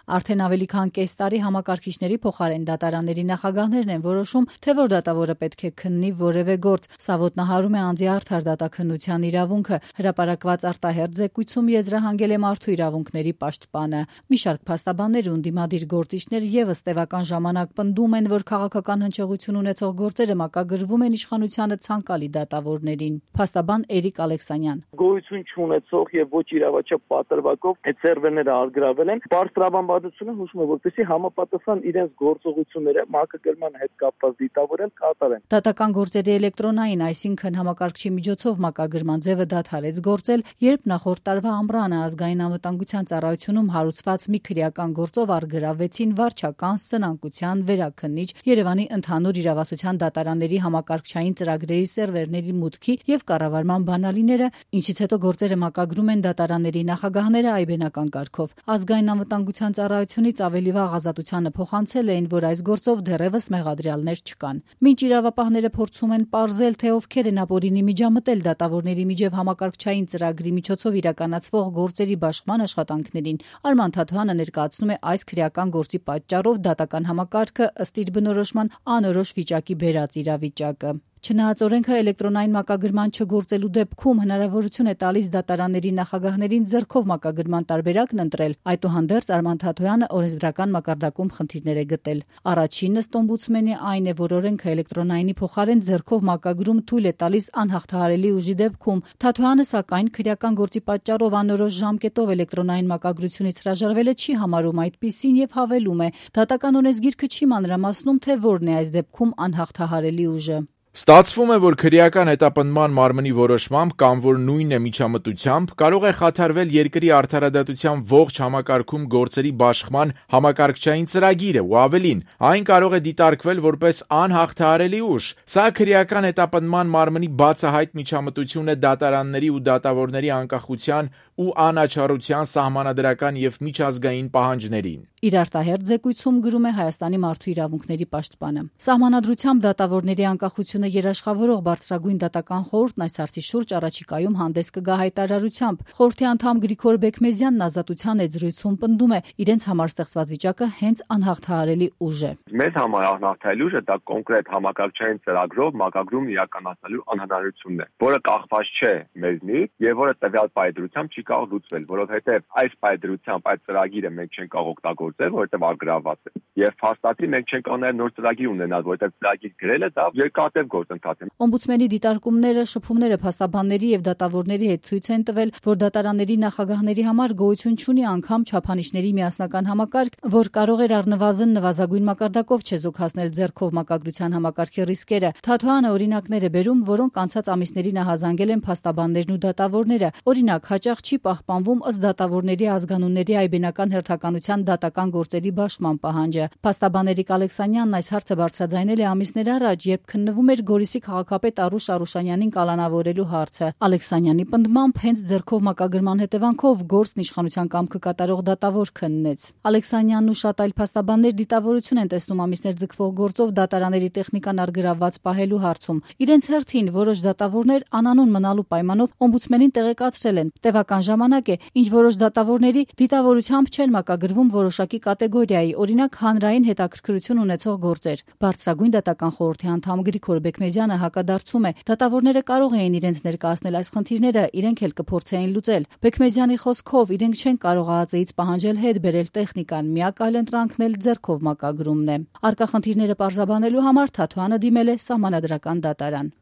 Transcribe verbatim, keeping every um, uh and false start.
Արդեն ավելի քան կես տարի համակարգիչների փոխարեն դատարանների նախագահներն են որոշում, թե որ դատավորը պետք է քննի որևէ գործ։ Սա ոտնահարում է անձի արդար դատաքննության իրավունքը։ Հրապարակված արտահերթ զեկույցում եզրահանգել է մարդու իրավունքների պաշտպանը։ Մի շարք փաստաբաններ ու ընդդիմադիր գործիչներ եւս տևական ժամանակ պնդում են, որ քաղաքական հնչեղություն ունեցող գործերը մակագրվում են իշխանությանը ցանկալի դատավորներին։ Փաստաբան Էրիկ Ալեքսանյան. Գոյություն չունեցող եւ ոչ իրավաչափ պատրվակով այդ սերվերները արգրավել են։ Պարստրավանվածությունը հուշում է, որպեսզի համապատասխան իրենց գործողությունները մակագրման հետ կապված դիտավորեն կատարեն։ Դատական գործերի էլեկտրոնային, այսինքն համակարգչի միջոցով մակագրման ձևը դադարեց գործել, երբ նախորդ տարվա ամռանը ազգային անվտանգության ծառայությունում հարուցված մի քրեական գործով արգրավեցին վարչական, սնանկության, վերաքննիչ, Երևանի ընդհանուր իրավասության դատարանների համակարգչային ծրագրերի սերվերների մուտքի եւ կառավարման բանալիները, ինչից հետո գործերը մակագրում են դատարանների նախագահները այբենական կարգով։ Ազգային անվտանգության ծառայությունից ավելի վաղ ազատությանը փոխանցել էին, որ այս գործով դեռևս մեղադրյալներ չկան։ Մինչ իրավապահները փորձում են պարզել, թե ովքեր են ապօրինի միջամտել դատավորների միջև համակարգչային ծրագրի միջոցով իրականացվող գործերի բաշխման աշխատանքներին, Արման Թաթոյանը ներկայացնում է այս քրեական գործի պատճառով դատական համակարգը ըստ իր բնորոշման անորոշ վիճակի բերած իրավիճակը։ Չնայած օրենքը էլեկտրոնային մակագրման չգործելու դեպքում հնարավորություն է տալիս դատարանների նախագահներին ձեռքով մակագրման տարբերակն ընտրել, այդուհանդերձ Արման Թաթոյանը օրենսդրական մակարդակում խնդիրներ է գտել։ Առաջինն ըստ օմբուդսմենի այն է, որ օրենքը էլեկտրոնայինի փոխարեն ձեռքով մակագրում թույլ է տալիս անհաղթահարելի ուժի դեպքում։ Թաթոյանը սակայն քրեական գործի պատճառով անորոշ ժամկետով էլեկտրոնային մակագրությունից հրաժարվելը չի համարում այդպիսին եւ հավելում է. դատական օրենսգիրքը չի մանրամասնում, թե որն է այս դեպքում անհաղթահարելի ուժը։ Ստացվում է, որ քրեական հետապնդման մարմնի որոշմամբ կամ որ նույն է միջամտությամբ կարող է խաթարվել երկրի արդարադատության ողջ համակարգում գործերի բաշխման համակարգչային ծրագիրը ու ավելին, այն կարող է դիտարկվել որպես անհաղթահարելի ուժ։ Սա քրեական հետապնդման մարմնի բացահայտ միջամտություն է դատարանների ու դատավորների անկախության ու անաչառության սահմանադրական եւ միջազգային պահանջներին։ Իր արտահերթ զեկույցում գրում է Հայաստանի մարդու իրավունքների պաշտպանը. Սահմանադրությամբ դատավորների անկախությունը երաշխավորող բարձրագույն դատական խորհուրդն այս հարցի շուրջ առաջիկայում հանդես կգա հայտարարությամբ։ Խորհրդի անդամ Գրիգոր Բեկմեզյանն Ազատության այդ զրույցում պնդում է, իրենց համար ստեղծված վիճակը հենց անհաղթահարելի ուժ է։ Մեզ համար անհաղթահարելի ուժը դա կոնկրետ համակարգչային ծրագրով մակագրում իրականացնելու անհնարինությունն է, որը կախված չէ մեզնից եւ որը տվյալ պայծրությամբ չի կարող լուծվել, որովհետեւ այս պայծրությամբ այդ ծրագիրը մենք չենք կարող օգտագործել, որովհետեւ ագրաված է։ Եվ փաստաթի մենք չենք կարող նոր ծրագիր ունենալ, որովհետեւ ծրագիր գրելը դա երկարատև գործընթաց է։ Օմբուդսմենի դիտարկումները, շփումները փաստաբանների եւ դատավորների հետ ցույց են տվել, որ դատարանների նախագահների համար գոյություն չունի անգամ չափանիշների միասնական համակարգ, որ կարող էր առնվազն նվազագույն մակարդակով չեզոքացնել ձեռքով մակագրության համակարգի ռիսկերը։ Թաթոյանը օրինակներ է բերում, որոնք անցած ամիսների նահազանգել են փաստաբաններն ու դատավորները։ Օրինակ, հաճախ չի պահպանվում ըստ դատավորների ազգանունների այբենական հերթականության դատական գործերի բաշխման պահանջը։ Փաստաբան Էրիկ Ալեքսանյանն այս հարցը բարձրաձայնել է ամիսներ առաջ, երբ քննվում էր Գորիսի քաղաքապետ Արուշ Արուշանյանին կալանավորելու հարցը։ Ալեքսանյանի պնդմամբ հենց ձեռքով մակագրման հետևանքով գործն իշխանության կամքը կատարող դատավոր քննեց։ Ալեքսանյանն ու շատ այլ փաստաբաններ դիտավորություն են տեսնում ամիսներ ձգվող գործով դատարանների տեխնիկան արգրավված պահելու հարցում։ Իրենց հերթին որոշ դատավորներ անանուն մնալու պայմանով օմբուդսմենին տեղեկացրել են։ Տևական ժամանակ է, ինչ որոշ դատավորների դիտավորությամբ չեն մակագրվում որոշակի կատեգորիայի, օրինակ հանրային հետաքրքրություն ունեցող գործեր։ Բարձրագույն դատական խորհրդի անդամ Գրիգոր Բեկմեզյանը հակադարձում է. դատավորները կարող էին իրենց ներկայացնել այս խնդիրները, իրենք էլ կփորձեին լուծել։ Բեկմեզյանի խոսքով իրենք չեն կարող ԱԱԾ-ից պահանջել հետ բերել տեխնիկան, միակ այլ ընտրանքն էլ ձեռքով մակագրումն է։ Առկա խնդիրները պարզաբանելու համար Թաթոյանը դիմել է սահմանադրական դատարան։